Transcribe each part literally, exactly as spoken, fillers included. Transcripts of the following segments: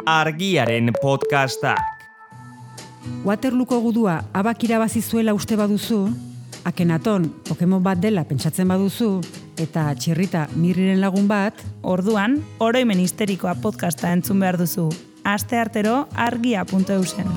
Argiaren podcastak. Waterlooko gudua abak irabazi zuela uste baduzu, Akenaton Pokemon bat dela pentsatzen baduzu, eta Txirrita Mirriren lagun bat, orduan, oroimen histerikoa podcasta entzun behar duzu. Aste artero argia puntu eusen.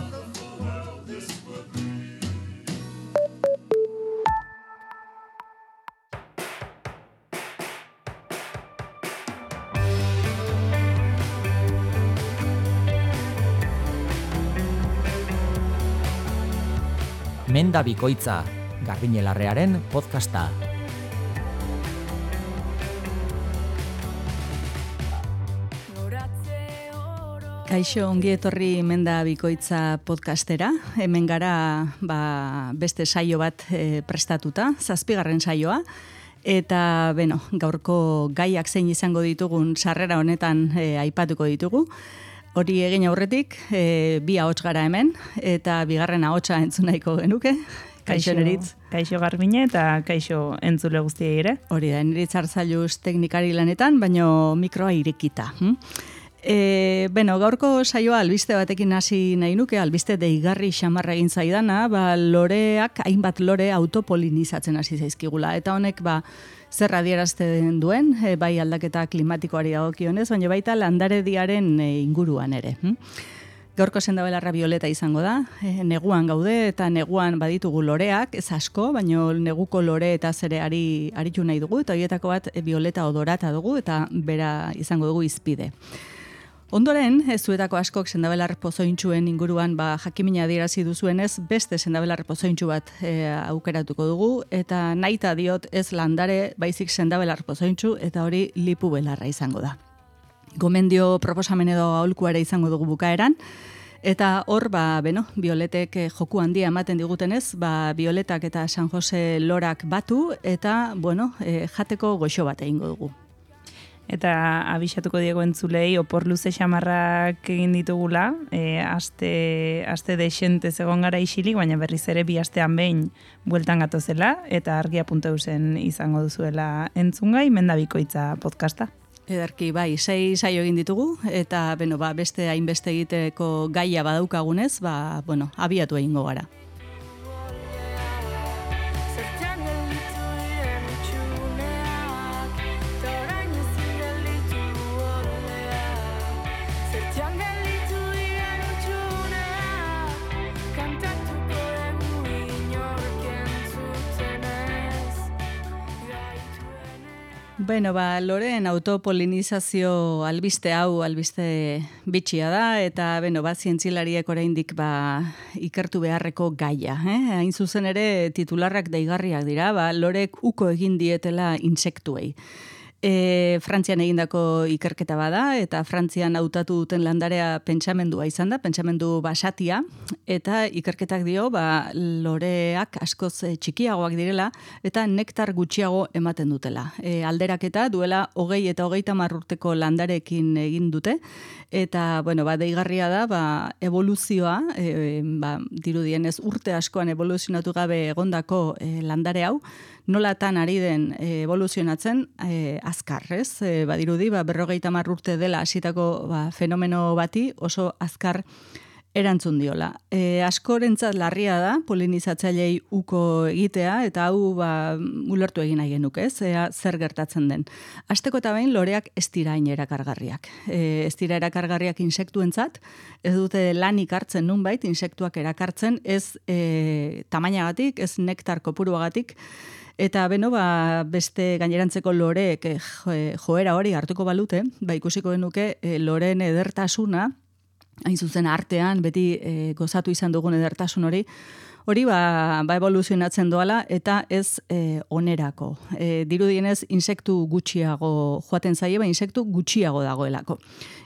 Menda bikoitza, Garbiñelarrearen podcasta. Kaixo, ongi etorri Menda bikoitza podcastera. Hemen gara ba, beste saio bat e, prestatuta, zazpigarren saioa. Eta, beno, gaurko gaiak zein izango ditugun sarrera honetan e, aipatuko ditugu. Hori egin aurretik, e, bi ahots gara hemen, eta bigarren ahotsa entzun nahiko genuke. Kaixo Neritz. Kaixo Garbine eta kaixo entzule guztiei ere. Hori da, Neritz Arzailuz teknikari lanetan, baino mikroa irekita. Hm? E, beno, gaurko saioa albiste batekin hasi nahi nuke, albiste deigarri xamarra egin zaidana, ba, loreak, hainbat lore autopolinizatzen hasi zaizkigula. Eta honek, ba, zer adierazten duen, e, bai aldaketa klimatikoari dagokionez, baina baita landarediaren e, inguruan ere. Hm? Gaurko sendabelarra bioleta izango da, e, neguan gaude eta neguan baditugu loreak, ez asko, baina neguko lore eta zere ari, aritu nahi dugu, eta horietako bat e, bioleta odorata dugu, eta bera izango dugu izpide. Ondoren, ez zuetako askok sendabelar pozointxuen inguruan ba, jakimina adierazi duzuenez, beste sendabelar pozointxu bat e, aukeratuko dugu, eta nahita diot ez landare baizik sendabelar pozointxu, eta hori lipu belarra izango da. Gomendio proposamen edo aholku ere izango dugu bukaeran, eta hor, ba, beno, bioletek joku handia ematen digutenez, ba, bioletak eta San Jose lorak batu, eta, bueno, e, jateko goxo bat egingo dugu. Eta abixatuko diego entzulei opor luze xamarrak egin ditugula, e, aste, aste desente zegoen gara isilik, baina berriz ere bi astean behin bueltan gatozela, eta argia puntu eusen izango duzuela entzungai, Menda bikoitza podcasta. Ederki, bai, sei saio egin ditugu, eta beno, ba, beste hainbeste egiteko gaia badaukagunez, ba, bueno, abiatu egingo gara. Bueno, ba, loreen autopolinizazio albiste hau, albiste bitxia da, eta beno, ba, zientzilariek oraindik ba, ikertu beharreko gaia. Eh? Hain zuzen ere titularrak deigarriak dira, ba, lorek uko egin dietela intsektuei. E, Frantzian egindako ikerketa bada, eta Frantzian hautatu duten landarea pentsamendua izan da, pentsamendu basatia, eta ikerketak dio, ba, loreak askoz txikiagoak direla, eta nektar gutxiago ematen dutela. E, alderaketa duela hogei eta hogeita hamar urteko landarekin egin dute, eta, bueno, ba, deigarria da, ba, evoluzioa, e, ba, dirudienez urte askoan evoluzionatu gabe egondako e, landare hau, nolatan ari den e, evoluzionatzen e, azkar, ez? E, badirudi, ba, berrogeita hamar urte dela hasitako ba, fenomeno bati oso azkar erantzun diola. E, askorentzat larria da polinizatzailei uko egitea, eta hau ba, ulertu egin nahi genuke, ez? Ea zer gertatzen den. Hasteko eta behin loreak ez dira hain erakargarriak. E, ez dira erakargarriak insektuentzat, ez dute lanik hartzen nunbait, insektuak erakartzen, ez e, tamainagatik, ez nektar kopuruagatik, eta beno, ba, beste gainerantzeko loreek eh, joera hori hartuko balute, ba, ikusiko genuke eh, loreen edertasuna, hain zuzen artean, beti eh, gozatu izan dugun edertasun hori, hori ba, ba evoluzionatzen doala, eta ez eh, onerako. E, dirudienez, insektu gutxiago joaten zaie, ba, insektu gutxiago dagoelako.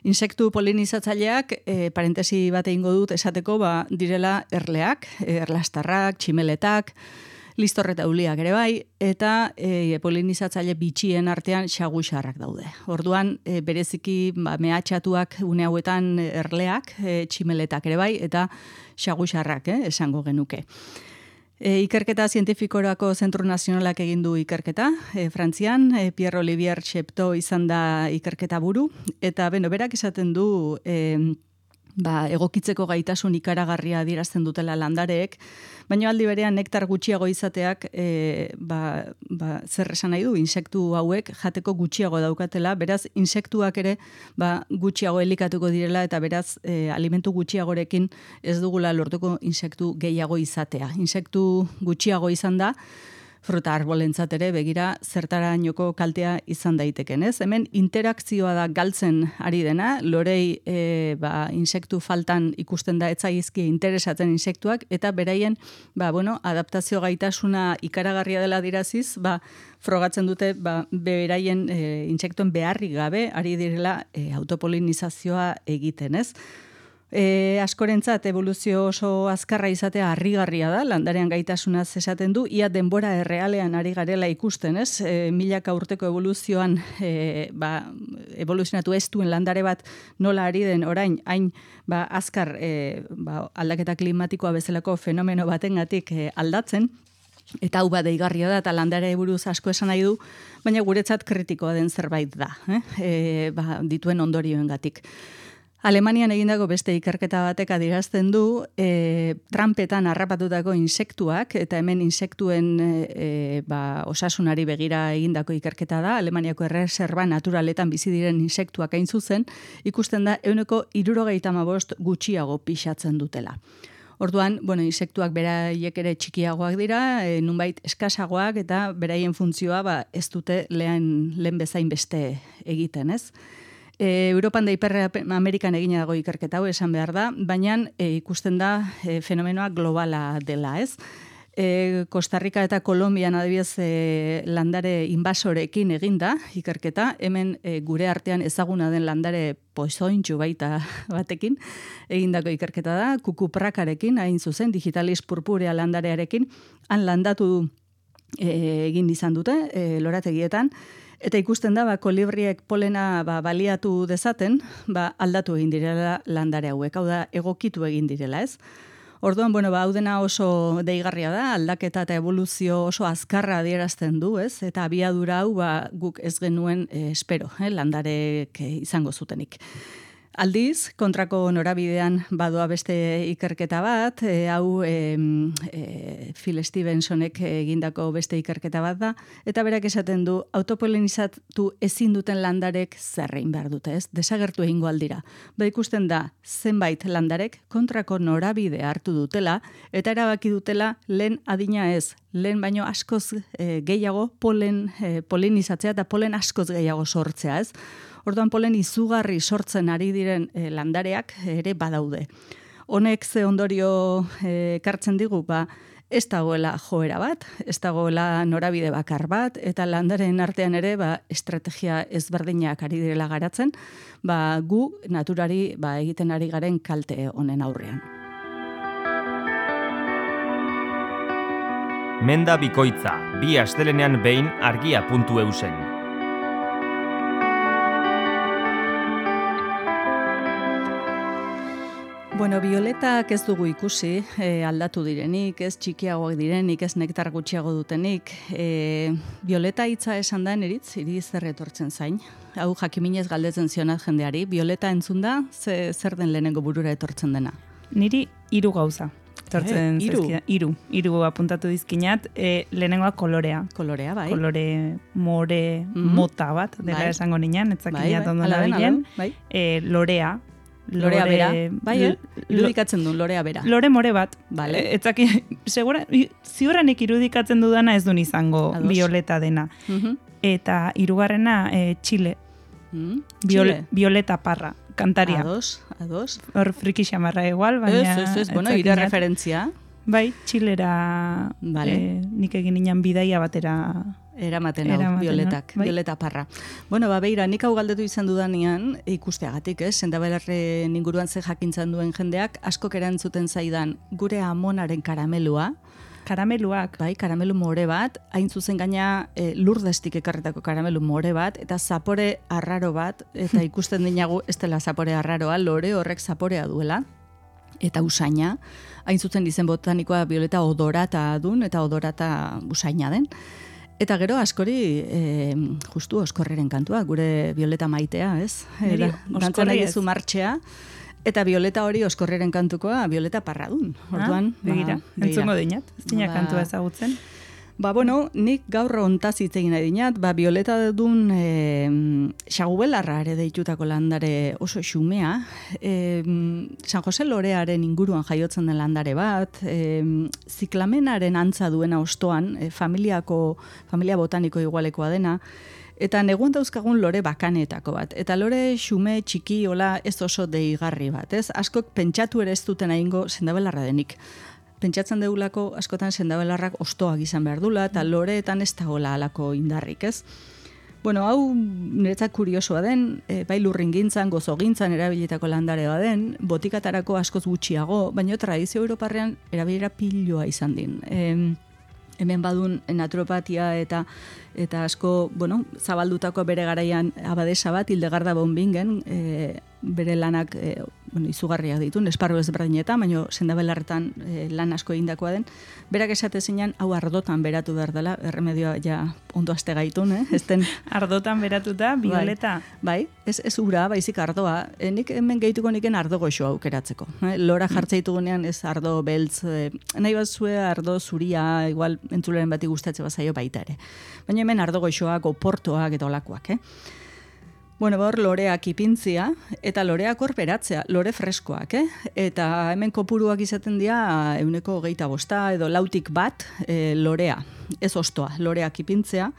Insektu polinizatzaileak, e, parentesi bat egingo dut esateko, ba, direla erleak, erlastarrak, tximeletak, listorre eta uliak ere bai, eta e, polinizatzaile bitxien artean xaguxarrak daude. Orduan, e, bereziki ba, mehatxatuak une hauetan erleak, e, tximeletak ere bai, eta xaguxarrak, eh, esango genuke. E, ikerketa zientifikorako Zentru Nazionalak egin du ikerketa, e, Frantzian, e, Pierre-Olivier Chepteau izan da ikerketa buru, eta beno, berak esaten du e, ba, egokitzeko gaitasun ikaragarria adierazten dutela landareek, baina aldi berean nektar gutxiago izateak e, ba, ba, zer esan nahi du, insektu hauek jateko gutxiago daukatela, beraz, insektuak ere ba, gutxiago elikatuko direla, eta beraz, e, alimentu gutxiagorekin ez dugula lortuko insektu gehiago izatea. Insektu gutxiago izan da, fruta arbolentzat ere begira zertarainoko kaltea izan daiteken, ez? Hemen interakzioa da galtzen ari dena, lorei e, ba, insektu faltan ikusten da etzaizki interesatzen insektuak, eta beraien ba, bueno, adaptazio gaitasuna ikaragarria dela diraziz, ba, frogatzen dute ba, beraien e, insektuen beharrik gabe ari direla e, autopolinizazioa egiten, ez? E, askorentzat evoluzio oso azkarra izatea harrigarria da, landarean gaitasunaz esaten du, ia denbora errealean ari garela ikusten, ez? E, milaka urteko evoluzioan e, ba, evoluzionatu ez duen landare bat nola ari den orain, hain ba, azkar e, ba, aldaketa klimatikoa bezalako fenomeno batengatik e, aldatzen, eta hau bat deigarria da, eta landare buruz asko esan nahi du, baina guretzat kritikoa den zerbait da, eh? E, ba, dituen ondorioengatik. Alemanian egindako beste ikerketa batek adierazten du e, trampetan harrapatutako insektuak, eta hemen insektuen e, ba, osasunari begira egindako ikerketa da, Alemaniako erreserba naturaletan bizi diren insektuak hain zuzen, ikusten da ehuneko hirurogeita hamabost gutxiago pixatzen dutela. Orduan, bueno, insektuak beraiek ere txikiagoak dira, e, nunbait eskasagoak, eta beraien funtzioa ba, ez dute lehen, lehen bezain beste egiten, ez? E, Europan da Ipar Amerikan egina dago ikerketa hau esan behar da, baina e, ikusten da e, fenomenoa globala dela, ez? E, Costa Rica eta Kolombian adibidez e, landare inbasorekin eginda ikerketa, hemen e, gure artean ezaguna den landare pozointxu baita batekin egindako ikerketa da, kukuprakarekin, hain zuzen, digitalis purpurea landarearekin, han landatu e, egin izan dute, e, lorategietan, eta ikusten da, ba, kolibriek polena ba, baliatu dezaten, ba, aldatu egin direla landare hauek, hau da, egokitu egin direla, ez? Orduan, bueno, ba, hau dena oso deigarria da, aldaketa eta evoluzio oso azkarra adierazten du, ez? Eta abiadura hau, ba, guk ez genuen eh, espero, eh, landarek izango zutenik. Aldiz, kontrako norabidean badoa beste ikerketa bat, e, hau e, e, Phil Stevensonek egindako beste ikerketa bat da, eta berak esaten du, autopolinizatu ezin duten landarek zerrein behar dute, ez? Desagertu egingo aldira. Ba ikusten da, zenbait landarek kontrako norabide hartu dutela, eta erabaki dutela lehen adina ez, lehen baino askoz e, gehiago polen, e, polinizatzea eta polen askoz gehiago sortzea, ez? Orduan polen izugarri sortzen ari diren e, landareak ere badaude. Honek ze ondorio ekartzen digu, ba, ez dagoela joera bat, ez dagoela norabide bakar bat, eta landaren artean ere ba, estrategia ezberdinak ari direla garatzen, ba, gu naturari ba, egiten ari garen kalte honen aurrean. Menda bikoitza, bi astelenean behin argia puntu eusen. Bueno, violetak ez dugu ikusi, e, aldatu direnik, ez txikiagoak direnik, ez nektar gutxiago dutenik. E, violeta hitza esan da eritz, iri zer etortzen zain. Hau jakiminez galdetzen zionat jendeari. Violeta entzunda, ze, zer den lehenengo burura etortzen dena? Niri hiru gauza. Etortzen Eh, hiru? zaizkida. Hiru. Hiru apuntatu dizkinat. E, lehenengoa kolorea. Kolorea, bai. Kolore more Mhm. mota bat, dela Bai. esango nian, etzakinat Bai, bai, ondo hala den, nabilen. hala den, bai. E, lorea. Lorea Lore- bera, bai, eh? l- Irudikatzen du, lorea bera. Lore more bat. Vale. E, etzaki, segura, ziurrenik irudikatzen dudana ez duen izango Ados. violeta dena. Mhm. Eta hirugarrena e, Txile. Mm, Viol, Txile. Violeta Parra, kantaria. Ados, ados. Hor friki xamarra igual, baina... Ez, ez, ez, bueno, etzakinat. ire referentzia. Bai, Txilera Vale. eh, nik egin inan bidaia batera. Eramaten hau, Eramaten, violetak, bai. violeta parra. Bueno, ba, beira, nik hau galdetu izan dudanean, ikusteagatik, ez? Sendabelarren inguruan ze jakintzan duen jendeak, askok erantzuten zaidan gure amonaren karamelua, Karameluak. bai, karamelu more bat, hain zuzen gaina e, lurdestik ekarretako karamelu more bat, eta zapore arraro bat, eta ikusten dinagu ez dela zapore arraroa, lore horrek zaporea duela, eta usaina, hain zuzen izen botanikoa violeta odorata dun, eta odorata usaina den. Eta gero askori e, justu oskorreren kantua, gure violeta maitea, ez? Niri E, da- dantzan oskorri nahi ez. duzu martxea, Eta Violeta hori Oskorreren kantukoa, Violeta Parradun. Orduan, ah, begira, ba, entzungo dinat, ez dina ba, kantua ezagutzen. Ba, bueno, nik gaur ontaz hitz egin nahi dinat, ba, Violeta dun e, xagubelarra ere deitutako landare oso xumea, e, San Jose Lorearen inguruan jaiotzen den landare bat, e, ziklamenaren antza duena ostoan, e, familiako, familia botaniko igualekoa dena, eta neguan dauzkagun lore bakanetako bat. Eta lore xume txiki hola ez oso deigarri bat, ez? Askok pentsatu ere ez duten egingo sendabelarra denik. Pentsatzen deulako askotan sendabelarrak ostoak izan behar dula, eta loreetan ez dagoela alako indarrik, ez? Bueno, hau niretzat kuriosoa den, e, bai lurringintzan, gozogintzan erabilitako landarea den, botikatarako askoz gutxiago, baina tradizio europarrean erabilera piloa izan din. E, hemen badun naturopatia eta eta asko, bueno, zabaldutako bere garaian abadesa bat, Hildegarda Bonbingen, e, bere lanak e, bueno, izugarriak ditu, esparru ezberdinetan, baina sendabelarretan e, lan asko egindakoa den, berak esate zinean, hau ardotan beratu behar dela, erremedioa ja ondo aste gaitun, eh? Esten, ardotan beratuta, Violeta? Bai, bai, ez, ez ura, baizik ardoa. E, nik hemen gehituko niken ardo goxo aukeratzeko. Eh? Lora jartzeitugunean ez ardo beltz, e, nahi bat zue ardo zuria, igual entzuleren bati gustatze bazaio baita ere. Baina hemen ardo goxoak, oportoak eta olakoak, eh? Bueno, hor loreak ipintzia, eta loreak hor beratzea, lore freskoak, eh? Eta hemen kopuruak izaten dira euneko hogeita bosta, edo lautik bat e, lorea, ez ostoa, loreak ipintzea,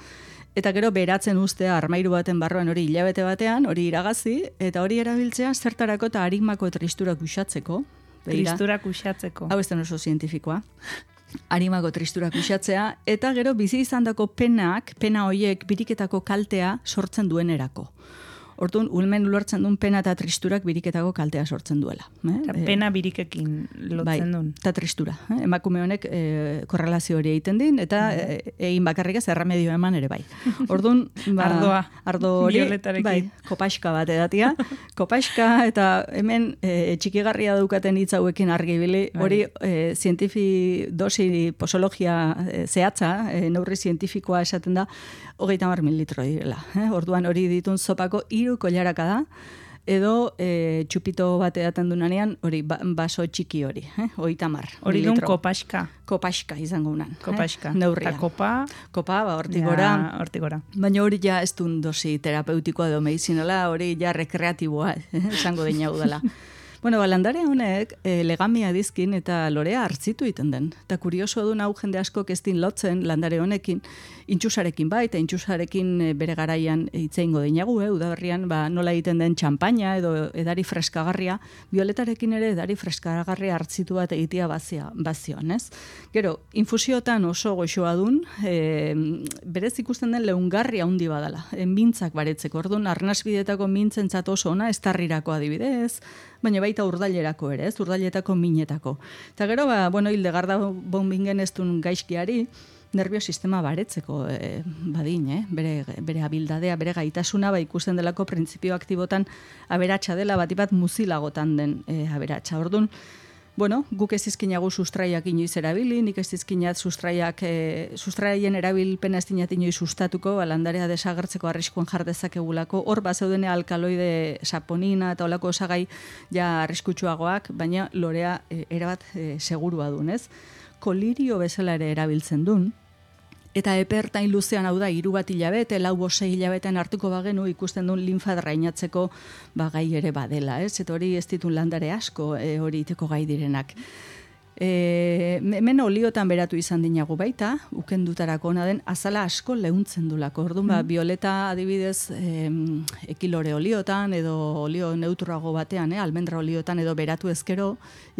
eta gero beratzen ustea armairu baten barruan hori hilabete batean, hori iragazi, eta hori erabiltzea zertarako eta harimako tristurak uxatzeko. Tristurak uxatzeko. Hau ez den oso zientifikoa. Harimako tristurak uxatzea, eta gero bizi izandako penak, pena hoiek biriketako kaltea sortzen duenerako. Orduan, ulmen ulertzen duen pena eta tristurak biriketako kaltea sortzen duela. Eh? Pena birikekin lotzen bai, duen. Eta tristura. Eh? Emakume honek e, korrelazio hori egiten din, eta e, egin bakarrik ez erremedio eman ere bai. Orduan, ba, ardoa, ardo hori, Violetarekin. Bai, kopaxka bat edatia. Kopaxka, eta hemen e, txikigarria daukaten hitz hauekin argibili, hori e, zientifi dosi posologia e, zehatza, e, neurri zientifikoa esaten da, hogeita hamar mililitro direla. Eh? Orduan hori ditun zopako hiru koilaraka da, edo e, txupito bat edaten dunanean, hori ba, baso txiki hori, eh? hogeita hamar mililitro. Hori dun kopaxka. Kopaxka izango unan. Kopaxka. Eh? Neurria. Eta kopa. Kopa, ba, hortigora. Ja, hortigora. Baina hori ja ez duen dosi terapeutikoa edo medizinala, hori ja rekreatiboa, eh? esango dina udala. Bueno, landare honek e, legamia dizkin eta lorea hartzitu egiten den. Eta kurioso duen hau jende asko kestin lotzen landare honekin, intxusarekin bai, eta intxusarekin e, bere garaian itzeingo dinagu, eh? Udaberrian ba, nola egiten den txampaina edo edari freskagarria, Violetarekin ere edari freskagarria hartzitu bat egitea bazia, bazioan, ez? Gero, infusiotan oso goxoa dun, e, berez ikusten den leungarria handi badala, e, mintzak baretzeko, orduan, arnasbidetako mintzentzat oso ona, estarrirako adibidez, baina baita urdailerako ere, ez, urdailetako minetako. Eta gero, ba, bueno, Hildegarda Bonbingen ez duen gaizkiari, nerviosistema baretzeko e, badin, eh? bere, bere abildadea, bere gaitasuna, ba, ikusten delako printzipio aktibotan aberatsa dela, bat bat muzilagotan den e, aberatsa. Orduan, bueno, guk ez izkinagu sustraiak inoiz erabili, nik ez izkinat sustraiak, e, sustraien erabilpena ez dinat inoiz sustatuko, landarea desagertzeko arriskuan jardezakegulako, hor bazeudene alkaloide saponina eta olako osagai ja arriskutsuagoak, baina lorea e, erabat e, segurua dun, ez? Kolirio bezala ere erabiltzen dun, eta epertain luzean hau da, hiru bat hilabete, lau bosei hilabetean hartuko bagenu ikusten duen linfa drainatzeko ba, gai ere badela, ez? Eta hori ez ditun landare asko e, hori iteko gai direnak. E, hemen oliotan beratu izan dinagu baita, ukendutarako ona den, azala asko leuntzen dulako. Orduan, ba, Violeta adibidez e, ekilore oliotan, edo olio neutrago batean, eh, almendra oliotan, edo beratu ezkero,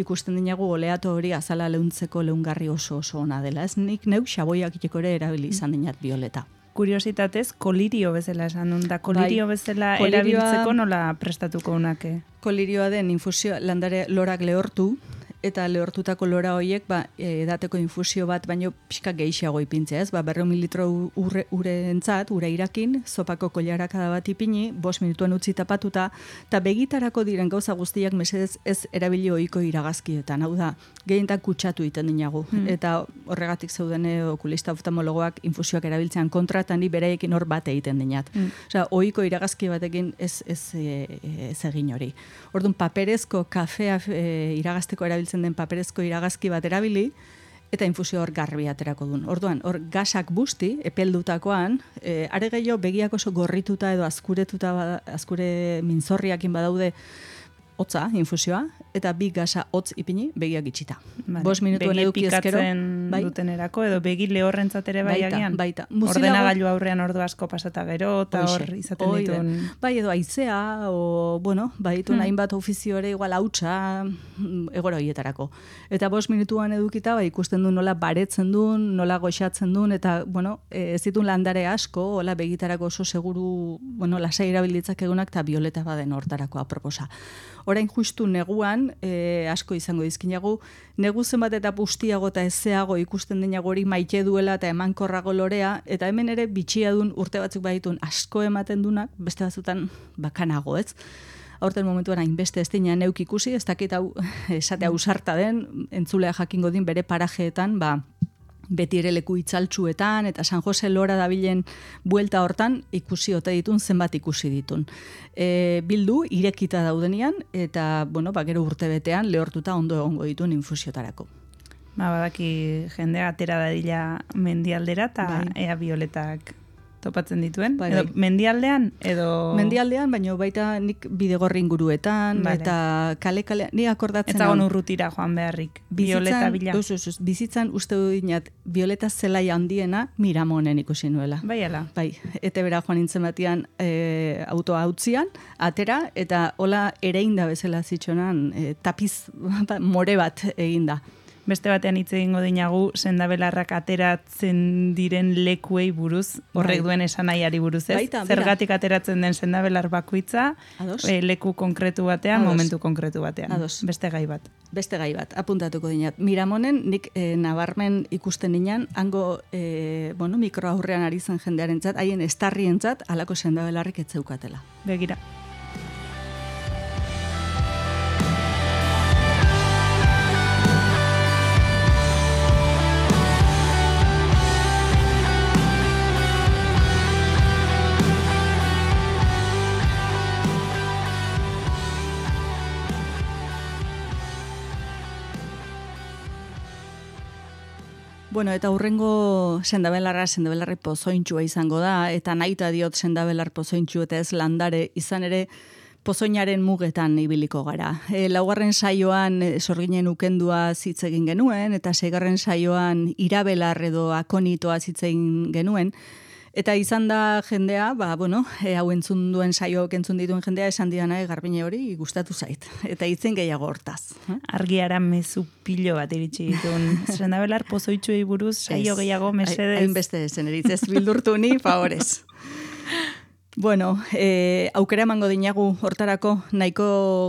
ikusten dinagu oleato hori azala leuntzeko leungarri oso oso ona dela. Ez nik neuk xaboiak iteko ere erabili izan dinat Violeta. Kuriositatez, kolirio bezala esan dut, da kolirio bai, bezala kolirioa, erabiltzeko nola prestatuko unake? Kolirioa den infusio landare lorak lehortu, eta lehortutako lora horiek ba, edateko infusio bat baino pixka gehiago ipintzea, ez? Ba, berreun mililitro ure, urentzat, ura irakin, zopako koilarakada bat ipini, bost minutuen utzi tapatuta, eta begitarako diren gauza guztiak mesedez ez erabili ohiko iragazkietan, hau da, gehientak kutsatu iten dinagu, mm. eta horregatik zeudene okulista oftalmologoak infusioak erabiltzean kontratan ni beraiekin hor bat egiten dinat. Mm. Osea, ohiko iragazki batekin ez, ez, ez egin hori. Orduan, paperezko kafea e, iragazteko erabiltzen den paperezko iragazki bat erabili, eta infusio hor garbi aterako duen. Orduan, hor gasak busti, epeldutakoan, e, are gehiago begiak oso gorrituta edo azkuretuta, azkure minzorriakin badaude, hotza, infusioa, eta bi gasa hotz ipini, begiak itxita. Vale. Bost minutuen eduki ezkero. Begi pikatzen bai? Dutenerako, edo begi lehorrentzat ere bai agian. Baita, ordenagailu aurrean ordu asko pasata gero, eta hor izaten oide. dituen. Bai, edo aizea, o, bueno, bai dituen hmm. hainbat ofizio ere igual hautsa, egora horietarako. Eta bost minutuan edukita, bai, ikusten du nola baretzen duen, nola goxatzen duen, eta, bueno, ez ditun landare asko, hola begitarako oso seguru, bueno, lasai erabilitzak egunak, eta bioleta baden hortarako aproposa. Orain justu neguan, e, asko izango dizkinagu, negu zenbat eta bustiago eta ezeago ikusten dinago hori maite duela eta emankorrago lorea, eta hemen ere bitxia dun urte batzuk baditun asko ematen dunak, beste batzutan bakanago, ez? Aurten momentuan hainbeste ez dina neuk ikusi, ez dakit hau esate ausarta den, entzulea jakingo din bere parajeetan, ba, beti ere leku itzaltsuetan, eta San Jose Lora dabilen buelta hortan ikusi ote ditun, zenbat ikusi ditun. E, bildu, irekita daudenian, eta, bueno, ba, gero urte betean, lehortuta ondo egongo ditun infusiotarako. Ba, badaki jendea atera dadila mendialdera, eta bai. Ea bioletak topatzen dituen. Bai, edo bai. Mendialdean, edo... Mendialdean, baina baita nik bidegorri inguruetan, vale. Eta kale-kale, ni akordatzen... Ez dagoen urrutira joan beharrik, bioleta bila. Uz, uz, uz, bizitzan uste du dinat, bioleta zelai handiena Miramonen ikusi nuela. Bai, ala. Bai, ete bera joan nintzen batian e, autoa hautzian, atera, eta hola ereinda bezala zitxonan, e, tapiz more bat eginda. Beste batean hitz egingo dinagu sendabelarrak ateratzen diren lekuei buruz, horrek bai. Duen esanaiari buruz, ez? Baita, zergatik ateratzen den sendabelar bakoitza, e, leku konkretu batean, Ados. Momentu konkretu batean. Ados. Beste gai bat. Beste gai bat, apuntatuko dinat. Miramonen, nik e, nabarmen ikusten dinan, hango e, bueno, mikroaurrean ari zen jendearentzat, haien estarrientzat, halako sendabelarrik etzeukatela. Begira. Bueno, eta hurrengo sendabelarra, sendabelarri pozointxua izango da, eta nahita diot sendabelar pozointxu eta ez landare, izan ere pozoinaren mugetan ibiliko gara. E, laugarren saioan e, sorginen ukendua hitz egin genuen, eta seigarren saioan irabelar edo akonitoa hitz egin genuen, eta izan da jendea, ba, bueno, e, hau entzun duen saioak entzun dituen jendea esan diana e, Garbine hori gustatu zait. Eta hitzen gehiago hortaz. Argiara mezu pilo bat iritsi ditun. Sendabelar pozoitxuei buruz saio gehiago mesedez. Hainbeste zen eritzez bildurtu ni, favorez. Bueno, e, aukera emango dinagu hortarako nahiko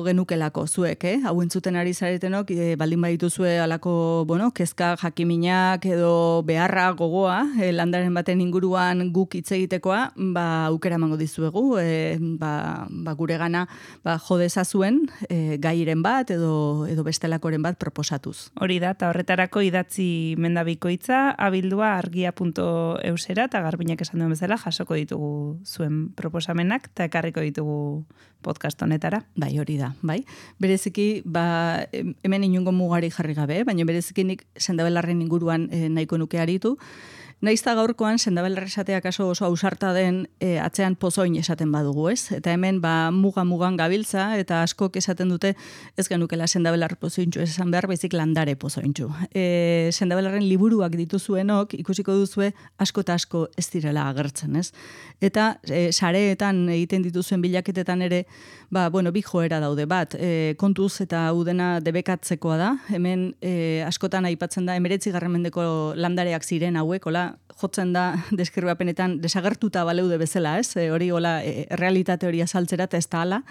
genukelako zuek, eh? Hau entzuten ari zaretenok, e, baldin badituzue alako, bueno, kezka jakiminak edo beharra gogoa, e, landaren baten inguruan guk hitz egitekoa, ba, aukera emango dizuegu, e, ba, ba, gure gana ba, jodezazuen e, gairen bat edo, edo bestelakoren bat proposatuz. Hori da, eta horretarako idatzi mendabikoitza, abildua argia puntu eusera, eta Garbinek esan duen bezala jasoko ditugu zuen proposamenak eta ekarriko ditugu podcast honetara. Bai, hori da, bai. Bereziki, ba, hemen inungo mugari jarri gabe, baina bereziki nik sendabelarren inguruan e, nahiko nuke aritu. Naizta gaurkoan sendabelar esatea kaso oso ausarta den e, atzean pozoin esaten badugu, ez? Eta hemen ba muga-mugan gabiltza eta askok esaten dute ez genukela sendabelar pozointxu esan behar, baizik landare pozointxu. E, sendabelarren liburuak dituzuenok ikusiko duzue asko eta asko ez direla agertzen, ez? Eta e, sareetan egiten dituzuen bilaketetan ere, ba, bueno, bi joera daude bat, e, kontuz eta udena debekatzekoa da, hemen e, askotan aipatzen da emeretzigarren mendeko landareak ziren hauek, hola, jotzen da deskribapenetan desagertuta baleude bezala, ez? E, hori hola e, realitate hori azaltzera eta ez da hala.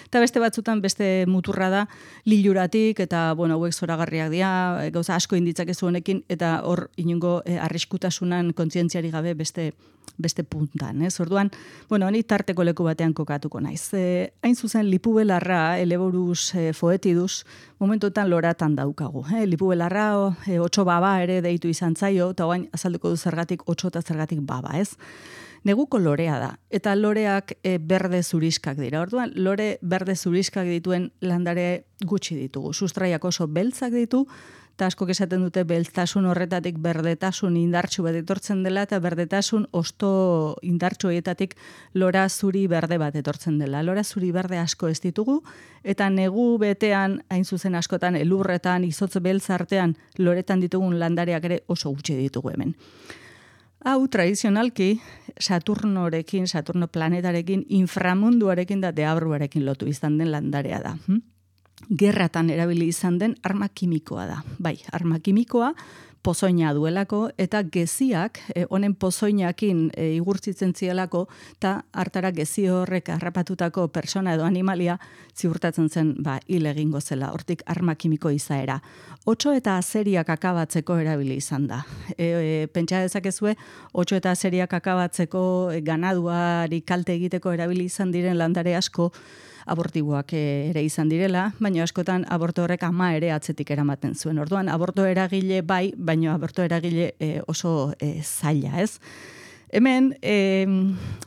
Eta beste batzutan beste muturra da liluratik eta bueno, hauek zoragarriak dira, gauza asko inditzakezu honekin eta hor inongo e, arriskutasunan kontzientziari gabe beste beste puntan, ez? Orduan, bueno, ni tarteko leku batean kokatuko naiz. E, hain zuzen lipubelarra, Eleborus e, foetidus, momentuetan loratan daukagu. E, lipubelarra, e, otso baba ere deitu izan zaio, eta oain azalduko du zergatik otso eta zergatik baba, ez? Neguko lorea da, eta loreak e, berde zuriskak dira. Orduan, lore berde zuriskak dituen landare gutxi ditugu. Sustraiak oso beltzak ditu, eta asko esaten dute beltztasun horretatik berdetasun indartsu bat etortzen dela, eta berdetasun osto indartsu horietatik lora zuri berde bat etortzen dela. Lora zuri berde asko ez ditugu, eta negu betean, hain zuzen askotan, elurretan, izotz beltz artean, loretan ditugun landareak ere oso gutxi ditugu hemen. Hau, tradizionalki, Saturnorekin, Saturno planetarekin, inframunduarekin da deabruarekin lotu izan den landarea da. Hm? Gerratan erabili izan den arma kimikoa da. Bai, arma kimikoa pozoina duelako eta geziak, eh, honen pozoinakin eh, igurtzitzen zielako eta hartara gezi horrek harrapatutako persona edo animalia ziurtatzen zen ba, hil egingo zela, hortik arma kimiko izaera. Otso eta azeriak akabatzeko erabili izan da. E, e, pentsa dezakezue, otso eta azeriak akabatzeko e, ganaduari kalte egiteko erabili izan diren landare asko, abortiboak ere izan direla, baina askotan aborto horrek ama ere atzetik eramaten zuen. Orduan, aborto eragile bai, baina aborto eragile e, oso e, zaila, ez? Hemen, e,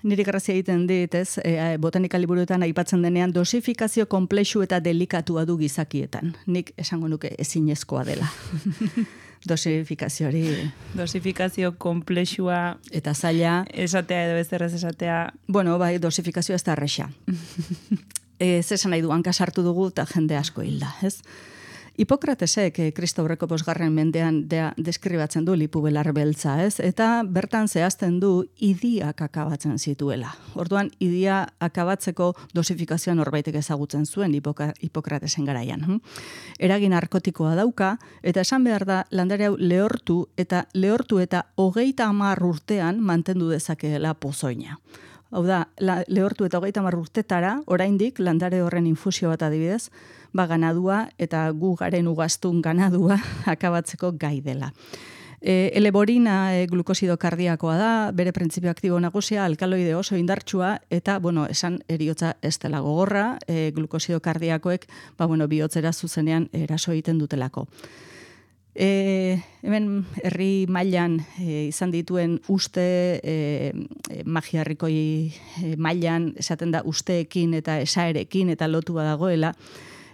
niri grazia egiten dit, ez, e, botanika liburuetan aipatzen denean dosifikazio komplexu eta delikatua du gizakietan. Nik esango nuke ezinezkoa dela. Dosifikazio hori. Dosifikazio komplexua eta zaila. Esatea edo bezerrez esatea. Bueno, bai, dosifikazioa ez da erresa. E, zesan nahi du, hanka sartu dugu eta jende asko hilda, ez? Hipokratesek, eh, Kristo aurreko bosgarren mendean dea, deskribatzen du lipubelar beltza, ez? Eta bertan zehazten du idiak akabatzen zituela. Orduan, idia akabatzeko dosifikazioa norbaitek ezagutzen zuen hipoka, Hipokratesen garaian. Hm? Eragin narkotikoa dauka, eta esan behar da, landare hau lehortu eta lehortu eta hogeita hamar urtean mantendu dezakeela pozoina. Hau da, la, lehortu eta hogeita hamar urtetara, oraindik landare horren infusio bat adibidez, ba ganadua eta gu garen ugaztun ganadua akabatzeko gai dela. E, eleborina e, glukosido kardiakoa da, bere printzipio aktibo nagusia, alkaloide oso indartsua, eta, bueno, esan eriotza ez dela gogorra, e, glukosido kardiakoek, ba, bueno, bihotzera zuzenean eraso egiten dutelako. E, hemen herri mailan e, izan dituen uste e, e, magiarrikoi e, mailan esaten da usteekin eta esaerekin eta lotua dagoela.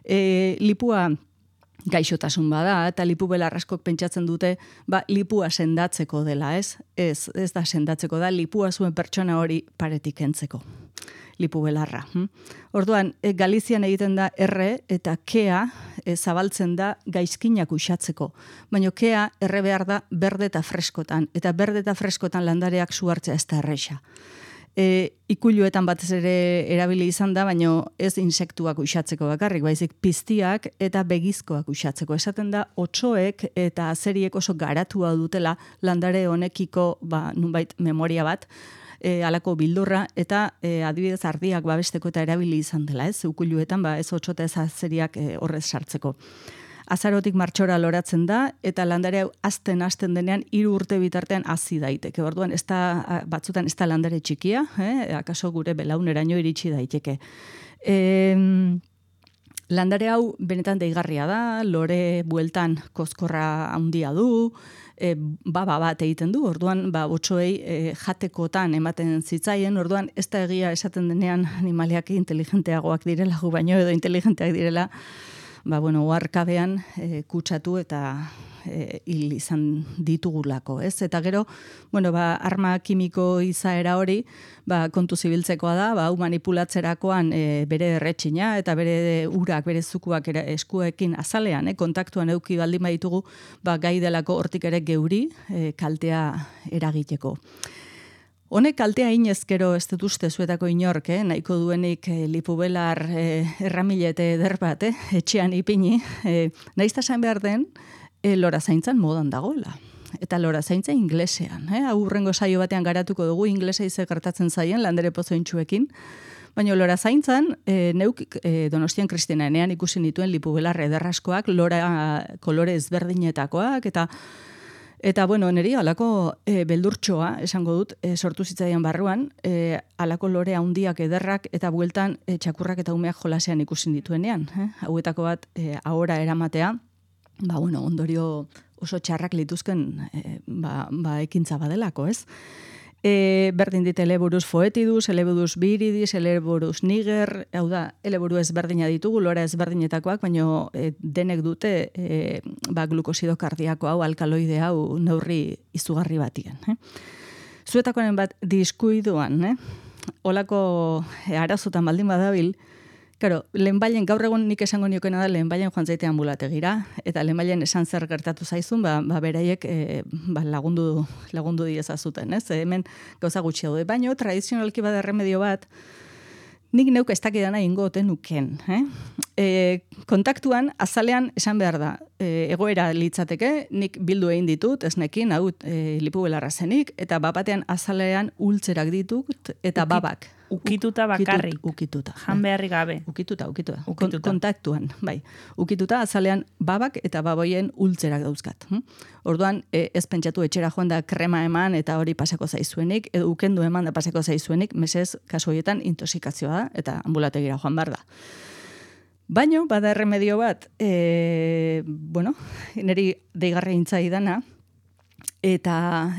E, lipua gaixotasun bada eta lipubelar askok pentsatzen dute ba, lipua sendatzeko dela, ez? Ez, ez da sendatzeko da, lipua zuen pertsona hori paretik kentzeko. Lipubelarra. Hm? Orduan, e, Galizian egiten da erre eta kea e, zabaltzen da gaizkinak uxatzeko. Baina kea erre behar da berde eta freskotan. Eta berde eta freskotan landareak suhartzea ez da erresa. E, ikuluetan batez ere erabili izan da, baina ez insektuak uxatzeko bakarrik, baizik piztiak eta begizkoak uxatzeko. Esaten da, otsoek eta azeriek oso garatua dutela landare honekiko ba, nunbait memoria bat, E, alako bildurra, eta e, adibidez ardiak babesteko eta erabili izan dela, ez? Ukuluetan, ba, ez otxota ez azeriak e, horrez sartzeko. Azarotik martxora loratzen da, eta landare hau azten azten denean hiru urte bitartean hazi daiteke. Orduan, ez da, batzutan ez da landare txikia, eh? Akaso gure belauneraino iritsi daiteke. E, landare hau benetan deigarria da, lore bueltan kozkorra handia du, E, baba bat egiten du, orduan ba, otsoei e, jatekotan ematen zitzaien, orduan ez da egia esaten denean animaliak inteligenteagoak direla, gu baino edo inteligenteak direla, ba, bueno, oarkabean e, kutsatu eta e, hil izan ditugulako, ez? Eta gero, bueno, ba, arma kimiko izaera hori, ba, kontu zibiltzekoa da, ba, hau manipulatzerakoan e, bere erretxina eta bere urak, bere zukuak era, eskuekin azalean, eh, kontaktuan euki baldin baditugu, ba, gai delako hortik ere geuri e, kaltea eragiteko. Honek kaltea inezkero ez dut uste zuetako inork, eh? Nahiko duenik eh, lipubelar eh, erramilete eder bat, eh? Etxean ipini, eh, naizta esan behar den, eh, lora zaintzan modan dagoela. eta lora zaintza inglesean. Eh? Aurrengo saio batean garatuko dugu inglesa ize gertatzen zaien Landare Pozointxuekin. Baina lora zaintzan, e, neuk e, Donostian Kristinaenean ikusi nituen lipubelar ederraskoak, lora kolore ezberdinetakoak, eta Eta, bueno, niri alako e, beldurtxoa, esango dut, e, sortu zitzaian barruan, e, alako lore handiak ederrak eta bueltan e, txakurrak eta umeak jolasean ikusin dituenean. Eh? Hauetako bat, e, ahora eramatea, ba, bueno, ondorio oso txarrak lituzken e, ba, ba, ekintza badelako, ez? E, berdin dit eleburuz foetiduz, eleburuz biridis, eleburuz niger, hau da, eleburu ezberdina ditugu, lora ezberdinetakoak, baina e, denek dute e, ba, glukosido kardiako hau, alkaloide hau neurri izugarri batien. Eh? Zuetakoaren bat diskuiduan, eh? Olako e, arazotan baldin badabil, Karo, lehenbailen, gaur egun nik esango niokena da lehenbailen joan zaite ambulategira, eta lehenbailen esan zer gertatu zaizun, ba, ba beraiek e, ba, lagundu, lagundu diezazuten, ez? E, hemen gauza gutxi daude, baina tradizionalki bada erremedio bat, nik neuk ez dakidana ingo ote nuken. Eh? E, kontaktuan, azalean esan behar da, e, egoera litzateke, nik bildu egin ditut, esnekin, hau e, lipubelarra zenik, eta bapatean azalean ultzerak ditut, eta Ukit, babak. Ukituta bakarrik. Ukituta. Jan beharri gabe. Ukituta, ukituta. Ukituta. Kon, kontaktuan, bai. Ukituta, azalean babak eta baboien ultzerak dauzkat. Hm? Orduan, e, ez pentsatu etxera joan da krema eman eta hori pasako zaizuenik, edo ukendu eman da pasako zaizuenik, mesez, kasu horietan intoxikazioa da, eta ambulategira joan behar da. Baino, bada erremedio bat, e, bueno, niri deigarra intzai dana, eta,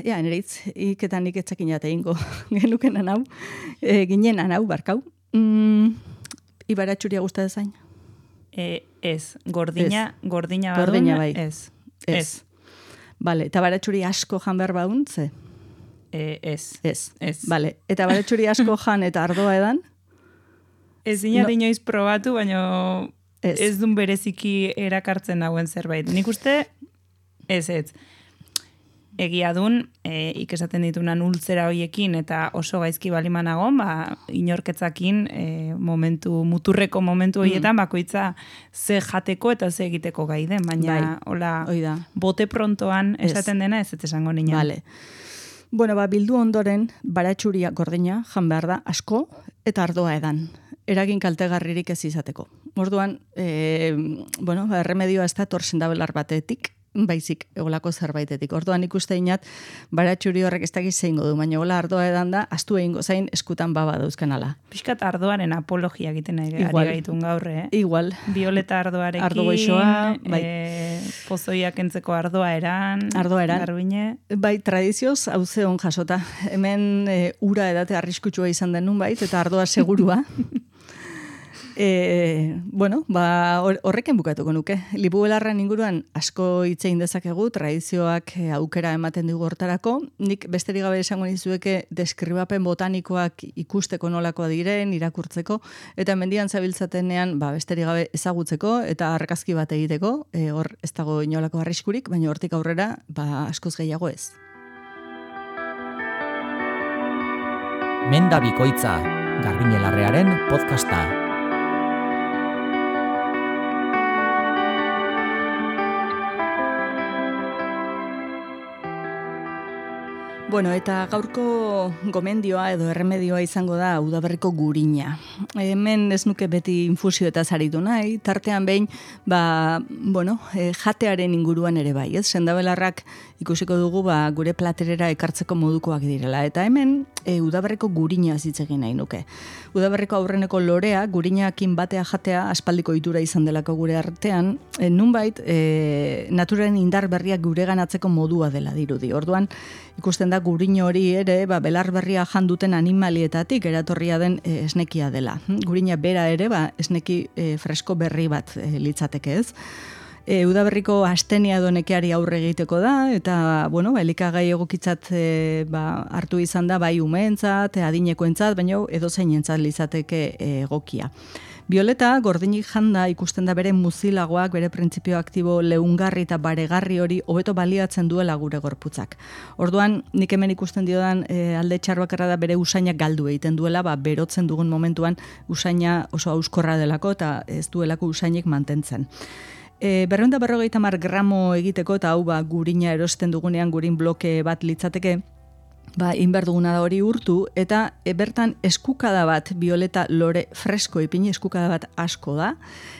ja, neritz, iketan nik etzakin jate ingo genukenan hau, e, ginenan hau, barkau. Mm, Ibaratxuria guzta dezain? E, ez, gordina, ez. gordina badun, gordina bai. ez. Ez. Ez. Bale, eta baratxuri asko jan behar baun, ze? E, ez. Ez. Ez. Bale, eta baratxuri asko jan eta ardoa edan? Ez dina No. inoiz probatu, baina Ez. ez dun bereziki erakartzen dauen zerbait. Nik uste, ez ez. Egia dun, e, ikesaten ditunan ultzera hoiekin eta oso gaizki balimanagon, ba, inorketzakin e, momentu, muturreko momentu horietan, bakoitza ze jateko eta ze egiteko gai den, baina Bai, hola, hoi da. bote prontoan Ez. esaten dena ez ez esango nina. Vale. Bueno, ba, bildu ondoren, baratxuria gordina jan behar da asko eta ardoa edan. Eragin kaltegarririk ez izateko. Orduan, e, bueno, ba, erremedioa ez da torsen dabelar batetik, baizik egolako zerbaitetik. Orduan ikuste inat, baratxuri horrek ez dakiz zeingo du, baina gola ardoa edan da, astu egingo zain eskutan baba dauzkan ala. Piskat ardoaren apologia egiten ari Igual. gaitun gaur, eh? Igual. Violeta ardoarekin, Ardo goixoa, bai. e, pozoiak entzeko ardoa eran, Ardoa eran. Garbiñe. Bai, tradizioz hau zeon jasota. Hemen e, ura edate arriskutsua izan den nun bait, eta ardoa segurua. E, bueno, ba, horrekin bukatuko nuke. Lipubelarren inguruan asko hitzein dezakegu, tradizioak e, aukera ematen digu hortarako. Nik besterik gabe esango nizueke deskribapen botanikoak ikusteko nolakoa diren, irakurtzeko, eta mendian zabiltzatenean ba, besterik gabe ezagutzeko eta argazki bat egiteko, e, hor ez dago inolako arriskurik, baina hortik aurrera ba, askoz gehiago ez. Menda bikoitza, Garbiñelarrearen podcasta. Bueno, eta gaurko gomendioa edo erremedioa izango da udaberriko gurina. Hemen ez nuke beti infusio eta zaritu nahi, tartean behin, ba, bueno, e, jatearen inguruan ere bai, ez? Sendabelarrak ikusiko dugu ba, gure platerera ekartzeko modukoak direla. Eta hemen e, udaberriko gurina zitzegin nahi nuke. Udaberriko aurreneko lorea, gurinakin batea jatea aspaldiko itura izan delako gure artean, e, nunbait, e, naturaren indar berriak gure ganatzeko modua dela dirudi. Orduan, ikusten da gurino hori ere, ba, belar berria janduten animalietatik eratorria den e, esnekia dela. Gurina bera ere, ba, esneki e, fresko berri bat e, litzateke ez. E, udaberriko astenia edo nekeari aurre egiteko da, eta, bueno, ba, elikagai egokitzat e, ba, hartu izan da, bai umeentzat, adinekoentzat, baina edozeinentzat litzateke e, egokia. Violeta, gordinik janda ikusten da bere muzilagoak, bere printzipio aktibo leungarri eta baregarri hori hobeto baliatzen duela gure gorputzak. Orduan, nik hemen ikusten diodan e, alde txarbakarra da bere usainak galdu egiten duela, ba, berotzen dugun momentuan usaina oso auskorra delako eta ez duelako usainik mantentzen. E, berrehun eta berrogeita hamar gramo egiteko, eta hau ba, gurina erosten dugunean gurin bloke bat litzateke, ba, inber duguna da hori urtu, eta e, bertan eskukada bat violeta lore fresko ipini, eskukada bat asko da,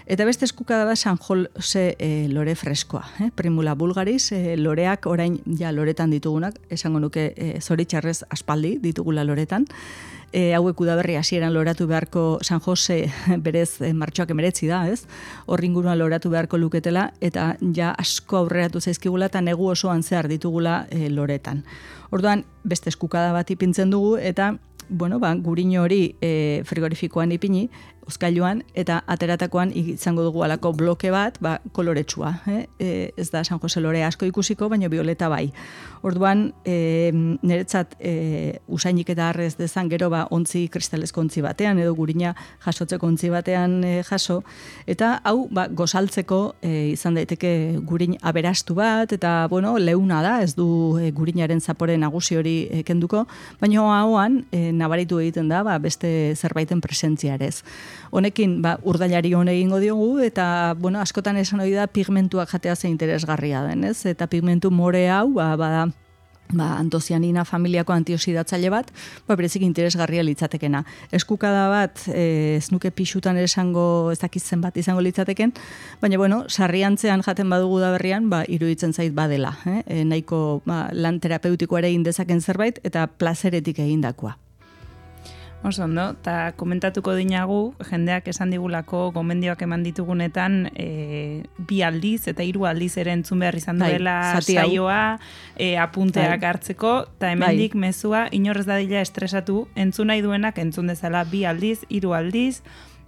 eta beste eskukada bat San Jose e, lore freskoa. Eh? Primula bulgaris, e, loreak orain ja loretan ditugunak, esango nuke e, zoritxarrez aspaldi ditugula loretan, E, hauek udaberri hasieran loratu beharko San Jose berez e, martxoak emeretzi da, ez? Horringuruan loratu beharko luketela, eta ja asko aurreratu zaizkigula eta negu osoan zehar ditugula e, loretan. Orduan, beste eskukada bat ipintzen dugu, eta bueno, ba, gurino hori e, frigorifikoan ipini, uzkailuan, eta ateratakoan izango dugu alako bloke bat, ba, koloretsua. Eh? E, ez da San Jose lore asko ikusiko, baina violeta bai. Orduan, e, niretzat e, usainik eta arrez dezan gero ba, ontzi kristalezko ontzi batean, edo gurina jasotzeko ontzi batean e, jaso, eta hau ba, gozaltzeko e, izan daiteke gurin aberastu bat, eta bueno, leuna da, ez du e, gurinaren zapore nagusi hori e, kenduko, baina hauan e, nabaritu egiten da, ba, beste zerbaiten presentziarez. Honekin ba, urdailari hon egingo diogu, eta bueno, askotan esan hori da pigmentuak jatea ze interesgarria den, ez? Eta pigmentu more hau, ba, bada, ba, antocianina familiako antioxidatzaile bat, ba, berezik interesgarria litzatekena. Eskukada bat, e, ez nuke pixutan esango, ez dakitzen bat izango litzateken, baina bueno, sarriantzean jaten badugu da berrian, ba, iruditzen zait badela, eh? E, nahiko ba, lan terapeutiko ere indezaken zerbait, eta plazeretik egindakoa. Oso ondo, eta komentatuko dinagu, jendeak esan digulako gomendioak eman ditugunetan e, bi aldiz eta hiru aldiz ere entzun behar izan duela saioa, e, apunteak bai. Hartzeko, eta hemendik bai. Mezua inorrez dadila estresatu, entzun nahi duenak entzun dezala bi aldiz, hiru aldiz,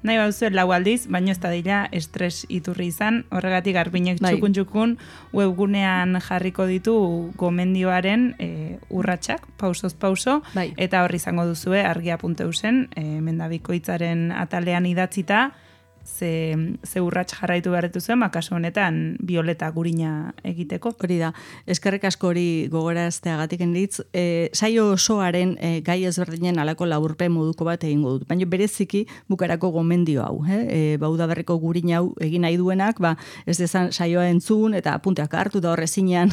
nahi baduzu lau aldiz, baino ez da dila estres iturri izan, horregatik Garbiñek bai. Txukun-txukun webgunean jarriko ditu gomendioaren e, urratsak, pausoz pauso, bai. Eta horri izango duzue argia puntu eusen, e, mendabikoitzaren atalean idatzita, ze, ze urrats jarraitu beharretu zuen, kasu honetan violeta gurina egiteko. Hori da, eskerrik asko hori gogorazteagatik enditz, e, saio osoaren e, gai ezberdinen alako laburpen moduko bat egingo dut, baina bereziki bukarako gomendio hau, eh? E, bauda berreko gurina hau egin nahi duenak, ba, ez dezan saioa entzun eta punteak hartu da horrezinean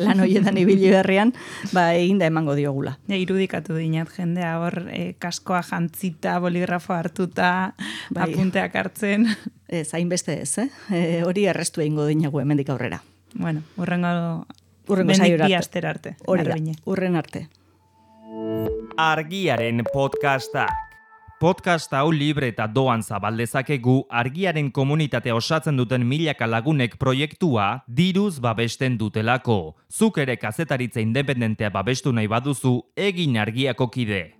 lan horietan ibili berrian, ba, eginda emango diogula. Ja, irudikatu dinat jendea hor e, kaskoa jantzita, boligrafo hartuta, bai. Apunteak hartzen. Ez, hainbeste ez, eh? E, hori errestu egingo dinagu hemendik aurrera. Bueno, urrengo, urrengo saiora bi aster arte. Hori da, urren arte. Argiaren podcasta. Podcast hau libre eta doan zabaldezakegu argiaren komunitatea osatzen duten milaka lagunek proiektua diruz babesten dutelako. Zuk ere kazetaritza independentea babestu nahi baduzu, egin argiako kide.